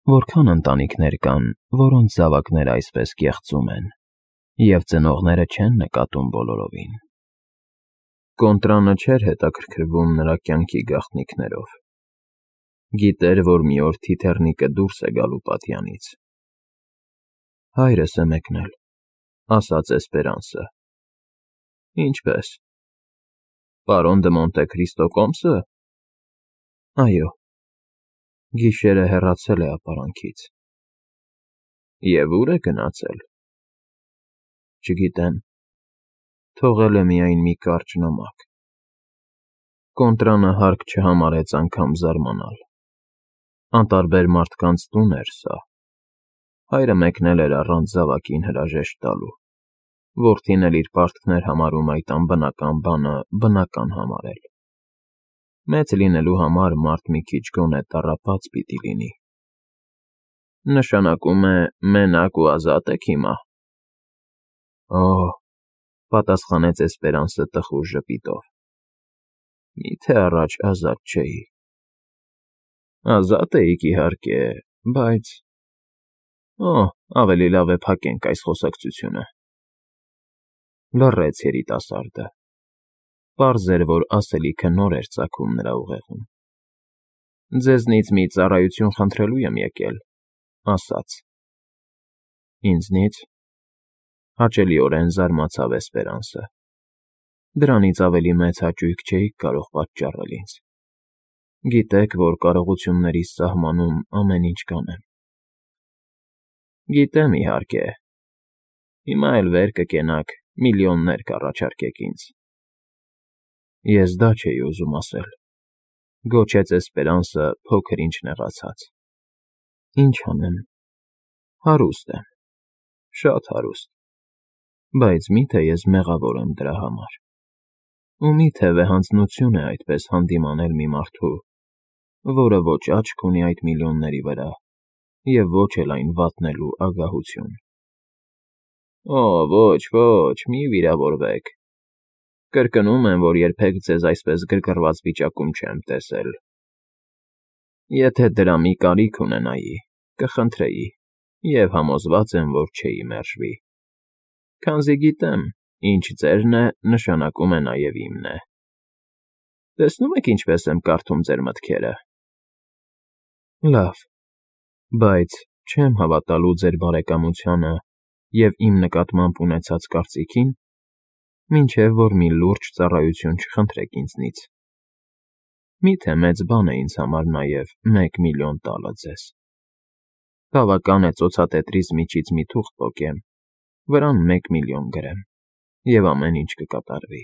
Որքան ընտանիքներ կան, որոնց զավակները այսպես կեղծում են, և ծնողները չեն նկատում բոլորովին։ Կոնտրանը չէր հետաքրքրվում նրա կյանքի գաղտնիքներով։ Գիտեր, որ մի օր թիթեռնիկը դուրս է գալու պատյանից։ «Հայրս է մեկնել», ասաց Էսպերանսը։ «Ինչպե՞ս։ Պարոն դը Մոնտե Քրիստո կոմսը»։ «Այո»։ Գիշերը հեռացել է ապարանքից։ «Եվ ո՞ւր է գնացել»։ «Չգիտեմ, թողել է միայն մի կարճ նամակ»։ Կոնտրանը հարկ չհամարեց անգամ զարմանալ։ Անտարբեր մարդկանց տուն էր սա։ Հայրը մեկնել էր առանց զավակին հրաժեշտ տալու։ Որդին էլ իր պարտքն էր համարում այդ անբնական բանը բնական համարել։ Մեծ լինելու համար մարդ մի քիչ գոնե տառապած պիտի լինի։ «Նշանակում է մենակ ու ազատ եք հիմա»։ «Օ՜», պատասխանեց Էսպերանսը տխուր ժպիտով։ «Մի՞թե առաջ ազատ չէի»։ «Ազատ էիք, իհարկե, բայց…» «Օ, ավելի լավ է փակենք այս խոսակցությունը»։ Լռեց երիտասարդը։ Պարզ էր, որ ասելիքը նոր էր ծագում նրա ուղեղում։ «Ձեզնից մի ծառայություն խնդրելու եմ եկել», ասաց։ «Ինձնից»։ Հաճելիորեն զարմացավ Էսպերանսը։ «Դրանից ավելի մեծ հաճույք չէիք կարող պատճառել ինձ։ Գիտեք, որ կարողություններիս սահմանում ամեն ինչ կանեմ»։ «Գիտեմ, իհարկե։ Հիմա էլ վեր կկենաք, միլիոններ կառաջարկեք ինձ»։ «Ես դա չէի ուզում ասել», գոչեց Էսպերանսը փոքր-ինչ նեղացած։ «Ինչ անեմ, հարուստ եմ, շատ հարուստ, բայց մի՞թե ես մեղավոր եմ դրա համար։ Ու մի՞թե վեհանձնություն է այդպես հանդիմանել մի մարդու, որը ոչ աչք ունի այդ միլիոնների վրա և ոչ էլ այն վատնելու ագահություն»։ «Օ, ոչ, ոչ, մի վիրավորվեք։ Կրկնում եմ, որ երբեք ձեզ այսպես գրգռված վիճակում չեմ տեսել։ Եթե դրա մի կարիք ունենայի, կխնդրեի և համոզված եմ, որ չէի մերժվի։ Քանզի գիտեմ, ինչ ձերն է, նշանակում է նաև իմն է։ Տեսնում եք ինչպես եմ կարդում ձեր մտքերը։ Լավ, բայց չեմ հավատալու ձեր բարեկամությանը և իմ նկատմամբ ունեցած կարծիքին, մինչև որ մի լուրջ ծառայություն չխնդրեք ինձնից։ Մի՞թե մեծ բան է ինձ համար նաև 1 միլիոն տալը ձեզ։ Բավական է ծոցատետրիս միջից մի թուղթ պոկեմ, վրան 1 միլիոն գրեմ, և ամեն ինչ կկատարվի։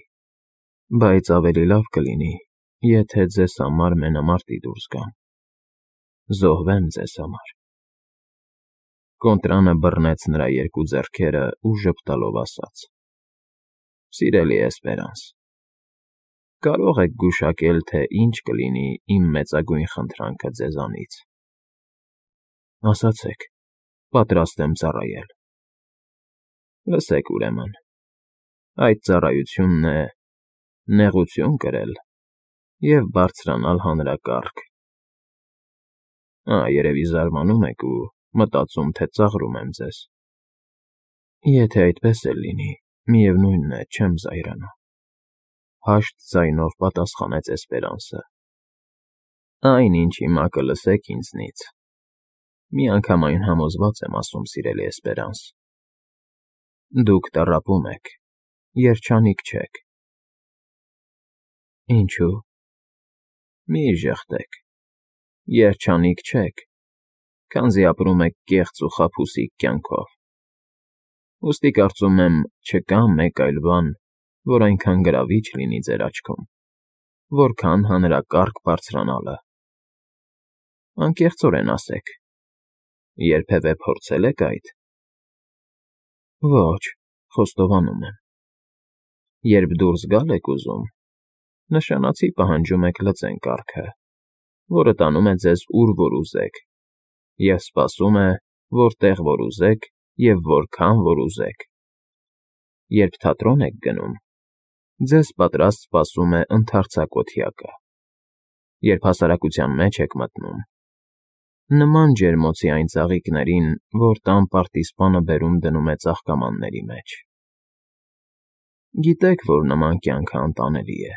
Բայց ավելի լավ կլինի, եթե ձեզ համար մենամարտի դուրս գամ։ Զոհվեմ ձեզ համար։ Կոնտրանը բռնեց նրա երկու ձեռքերը ու ժպտալով ասաց. «Սիրելի Էսպերանս, կարող եք գուշակել, թե ինչ կլինի իմ մեծագույն խնդրանքը ձեզանից»։ Ասացեք, պատրաստ եմ ծառայել։ Լսեք ուրեմն, այդ ծառայությունն է նեղություն կրել և բարձրանալ հանրակարգ։ Երևի զարմանում եք ու մտածում, թե ծաղրում եմ ձեզ։ Եթե այդպես էլ լինի, միևնույն է, չեմ զայրանա։ Հաշտ ձայնով պատասխանեց Էսպերանսը։ Այն, ինչ հիմա կլսեք ինձնից, միանգամայն համոզված եմ ասում, սիրելի Էսպերանս, դուք տառապում եք, երջանիկ չեք։ Ինչո՞ւ։ Մի ժխտեք, երջանիկ չեք, քանզի ապրում եք կեղծ ու խաբուսիկ կյանքով։ Ուստի կարծում եմ, չկա մեկ այլ բան, որ այնքան գրավիչ լինի ձեր աչքում, որքան հանրակարգ բարձրանալը։ Անկեղծորեն ասեք, երբևէ փորձե՞լ եք այդ։ Ոչ, խոստովանում եմ։ Երբ դուրս գալ եք ուզում, նշանացի պահանջում եք լծեն կառքը, որը տանում է ձեզ ուր որ ուզեք, և սպասում է, որտեղ որ ուզեք և որքան որ ուզեք։ Երբ թատրոն եք գնում, ձեզ պատրաստ սպասում է ընդարձակ օթյակը։ Երբ հասարակության մեջ եք մտնում, նման ջերմոցի այն ծաղիկներին, որ տան պարտիզպանը բերում դնում է ծաղկամանների մեջ։ Գիտեք, որ նման կյանքը անտանելի է։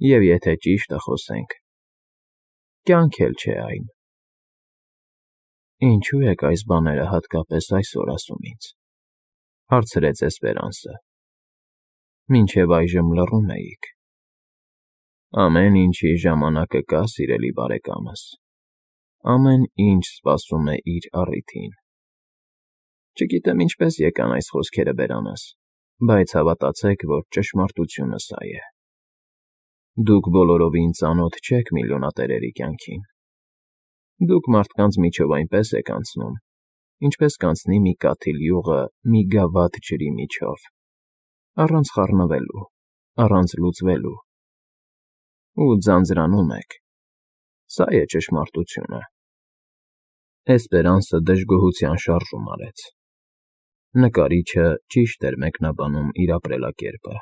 Եվ եթե ճիշտը խոսենք, կյանք էլ չէ այն։ Ինչու եք այս բաները հատկապես այսօր ասում ինձ, հարցրեց Էսպերանսը։ Մինչև այժմ լռում էիք։ Ամեն ինչի ժամանակը կա, սիրելի բարեկամս։ Ամեն ինչ սպասում է իր առիթին։ Չգիտեմ ինչպես եկան այս խոսքերը բերանս, բայց հավատացեք, որ ճշմարտությունը սա է։ Դուք բոլորովին ծանոթ չեք միլիոնատերերի կյանքին։ Դուք մարդկանց միջով այնպես եք անցնում, ինչպես կանցնի մի կաթիլ յուղը մի գավաթ ջրի միջով, առանց խառնվելու, առանց լուծվելու։ Ու ձանձրանում եք։ Սա է ճշմարտությունը։ Էսպերանսը դժգոհության շարժում արեց։ Նկարիչը ճիշտ էր մեկնաբանում իր ապրելակերպը,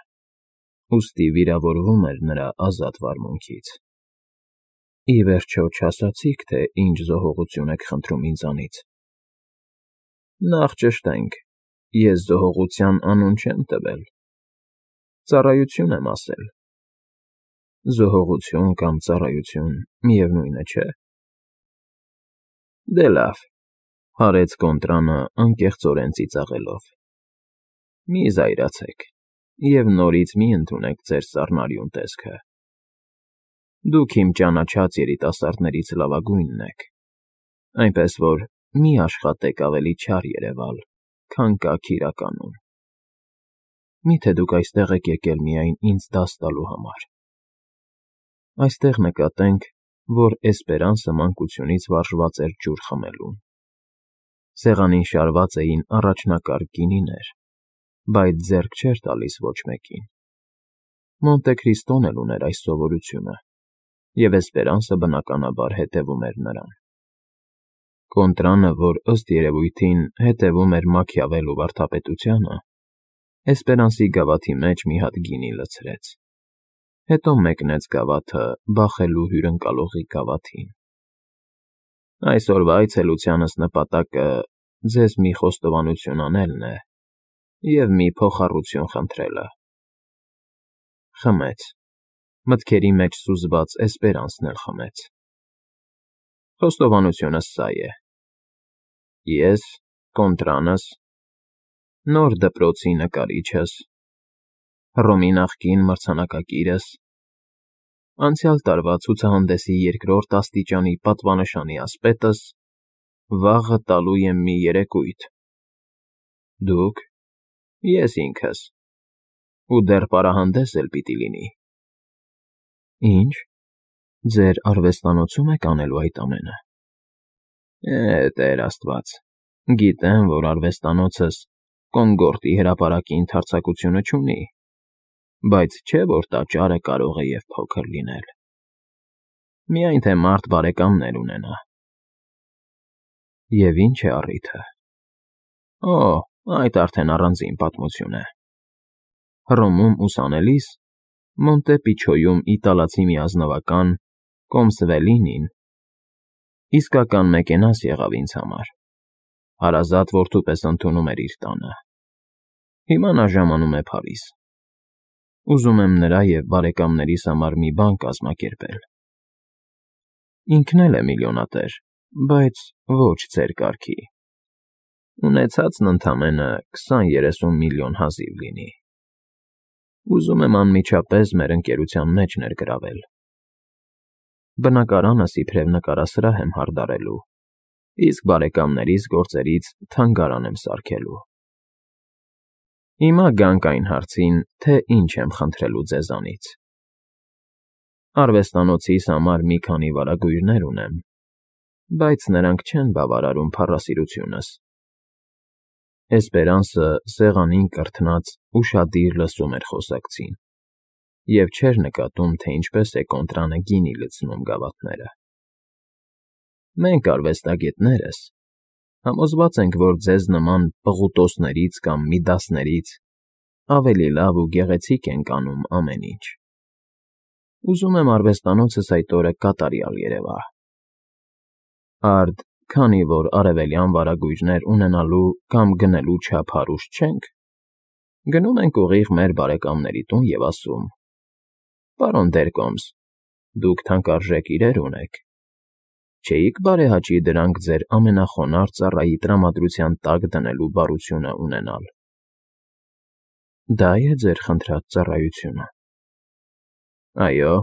ուստի վիրավորվում էր նրա ազատ վարմունքից։ Ի վերջո չասացիք, թե ինչ զոհողություն եք խնդրում ինձանից։ Նախ ճշտենք, ես զոհողության անուն չեմ տվել։ Ծառայություն եմ ասել։ Զոհողություն կամ ծառայություն միևնույնը չէ։ Դե լավ, հարեց Կոնտրանը անկեղծորեն ծիծաղելով։ Մի զայրացեք և նորից մի ընդունեք ձեր սառնարյուն տեսքը։ Դուք իմ ճանաչած երիտասարդներից լավագույնն եք, այնպես որ մի աշխատեք ավելի չար երևալ, քան կաք իրականում։ Մի՞թե դուք այստեղ եք եկել միայն ինձ դաս տալու համար։ Այստեղ նկատենք, որ Էսպերանսը մանկությունից վարժված էր ջուր խմելուն։ Սեղանին շարված էին առաջնակարգ գինիներ, բայց ձեռք չէր տալիս ոչ մեկին։ Մոնտե Քրիստոն էլ ուներ այս սովորությունը, և Էսպերանսը բնականաբար հետևում էր նրան։ Կոնտրանը, որ ըստ երևույթին հետևում էր Մաքիավելլու վարդապետությանը, Էսպերանսի գավաթի մեջ մի հատ գինի լցրեց, հետո մեկնեց գավաթը բախելու հյուրընկալողի գավաթին։ Այսօրվա այցելությանս նպատակը ձեզ մի խոստովանություն անելն է և մի փոխառություն խնդրելը։ Խմեց, մտքերի մեջ սուզված Էսպերանսն էլ խմեց։ Խոստովանությունս սա է. ես, Կոնտրանս, նոր դպրոցի նկարիչս, Հռոմի նախկին մրցանակակիրս, անցյալ տարվա ցուցահանդեսի երկրորդ աստիճանի պատվանշանի ասպետս վաղը տալու եմ մի երեկույթ։ Դուք, ես ինքս, ու դեռ պարահանդես էլ պիտի լինի։ Ինչ, ձեր արվեստանոցում եք անելու այդ ամենը։ Տեր Աստված, գիտեմ, որ արվեստանոցս Կոնկորդի հրապարակի ընդարձակությունը չունի, բայց չէ՞ որ տաճարը կարող է և փոքր լինել։ Միայն թե մարդ բարեկամներ ունենա։ Եվ ինչ է առիթը։ Օ, այդ արդեն առանձին պատմություն է։ Հռոմում ուսանելիս Մոնտե Պիչոյում իտալացի մի ազնվական Կոմսվելինին իսկական մեկենաս եղավ ինձ համար, հարազատ որդու պես ընդունում էր իր տանը։ Հիմա նա ժամանում է Փարիզ։ Ուզում եմ նրա և բարեկամներիս համար մի բան կազմակերպել։ Ինքն էլ է միլիոնատեր, բայց ոչ ձեր կարգի։ Ունեցածն ընդամենը 20-30 միլիոն հազիվ լինի։ Ուզում եմ անմիջապես մեր ընկերության մեջ ներգրավել։ Բնակարանս իբրև նկարասրահ եմ հարդարելու, իսկ բարեկամներիս գործերից թանգարան եմ սարքելու։ Հիմա գանք այն հարցին, թե ինչ եմ խնդրելու ձեզանից։ Արվեստանոցիս համար մի քանի վարագույրներ ունեմ, բայց նրանք չեն բավարարում փառասիրությունս։ Էսպերանսը սեղանին կրթնած ուշադիր լսում էր խոսակցին և չէր նկատում, թե ինչպես է Կոնտրանը գինի լցնում գավաթները։ Մենք արվեստագետներս համոզված ենք, որ ձեզ նման պղուտոսներից կամ Միդասներից ավելի լավ ու գեղեցիկ ենք անում ամեն ինչ։ Ուզում եմ արվեստանոցս այդ օրը կատարյալ երևա։ Արդ, քանի որ արևելյան վարագույրներ ունենալու կամ գնելու չափ հարուստ չենք, գնում ենք ուղիղ մեր բարեկամների տուն և ասում. «Պարոն Դերկոմս, դուք թանկարժեք իրեր ունեք. չէիք բարեհաճի դրանք ձեր ամենախոնարհ ծառայի տրամադրության տակ դնելու բարությունը ունենալ»։ Դա է ձեր խնդրած ծառայությունը։ Այո,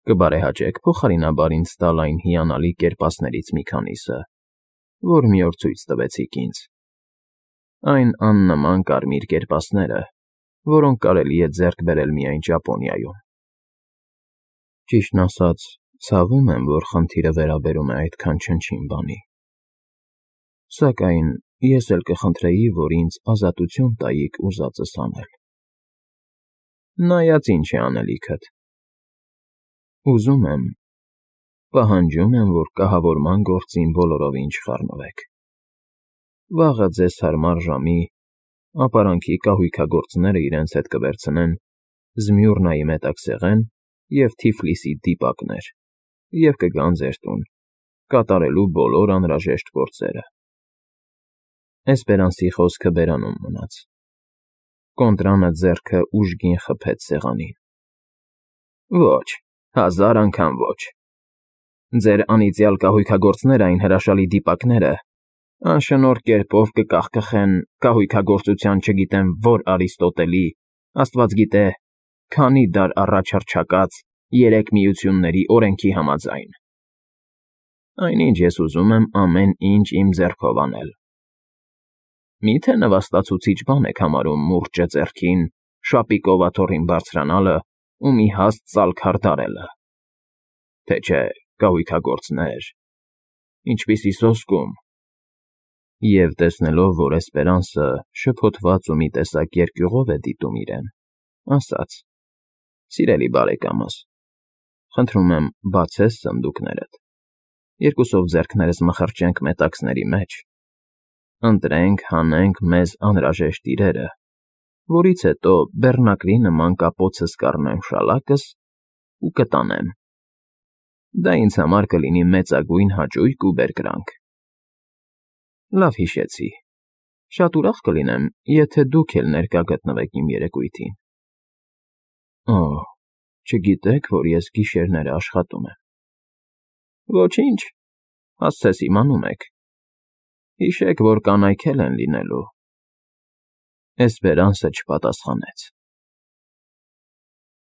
կբարեհաճեք փոխարինաբար ինձ տալ այն հիանալի կերպասներից մի քանիսը, որ մի օր ցույց տվեցիք ինձ։ Այն աննման կարմիր կերպասները, որոնք կարելի է ձեռք բերել միայն Ճապոնիայում։ Ճիշտն ասած, ցավում եմ, որ խնդիրը վերաբերում է այդքան չնչին բանի։ Սակայն ես էլ կխնդրեի, որ ինձ ազատություն տայիք ուզածս անել։ Նայած ինչ է անելիքդ։ Ուզում եմ, պահանջում եմ, որ կահավորման գործին բոլորովին չխառնվեք։ Վաղը ձեզ հարմար ժամի ապարանքի կահույքագործները իրենց հետ կվերցնեն Զմյուռնայի մետաքսեղեն և Թիֆլիսի դիպակներ և կգան ձեր տուն, կատարելու բոլոր անհրաժեշտ գործերը։ Էսպերանսի խոսքը բերանում մնաց։ Կոնտրանը ձեռքը ուժգին խփեց սեղանին։ Ոչ, 1000 անգամ ոչ։ Ձեր անիծյալ կահույքագործները այն հրաշալի դիպակները անշնորհ կերպով կկախկխեն կահույքագործության չգիտեմ որ Արիստոտելի, աստված գիտե, քանի դար առաջ հռչակած 3 միությունների օրենքի համաձայն։ Այնինչ ես ուզում եմ ամեն ինչ իմ ձեռքով անել։ Մի՞թե նվաստացուցիչ բան եք համարում մուրճը ձեռքին, շապիկով աթոռին բարձրանալը ու մի հաստ ծալքար դարելը։ Թե չէ, կահույքագործներ, ինչպիսի սոսկում։ Եվ տեսնելով, որ Էսպերանսը շփոթված ու մի տեսակ երկյուղով է դիտում իրեն, ասաց. «Սիրելի բարեկամս, խնդրում եմ, բացես սնդուկներդ, երկուսով ձեռքներս մխրճենք մետաքսների մեջ, ընտրենք, հանենք մեզ անհրաժեշտ իրերը, որից հետո բեռնակրի նման կապոցս կառնեմ շալակս ու կտանեմ։ Դա ինձ համար կլինի մեծագույն հաճույք ու բերկրանք։ Լավ հիշեցի։ Շատ ուրախ կլինեմ, եթե դուք էլ ներկա գտնվեք իմ երեկույթին։ Օհ, չգիտեք, որ ես գիշերները աշխատում եմ։ Ոչինչ, հասցես իմանում եք։ Հիշեք, որ կանայք էլ են լինելու։ Էսպերանսը չպատասխանեց։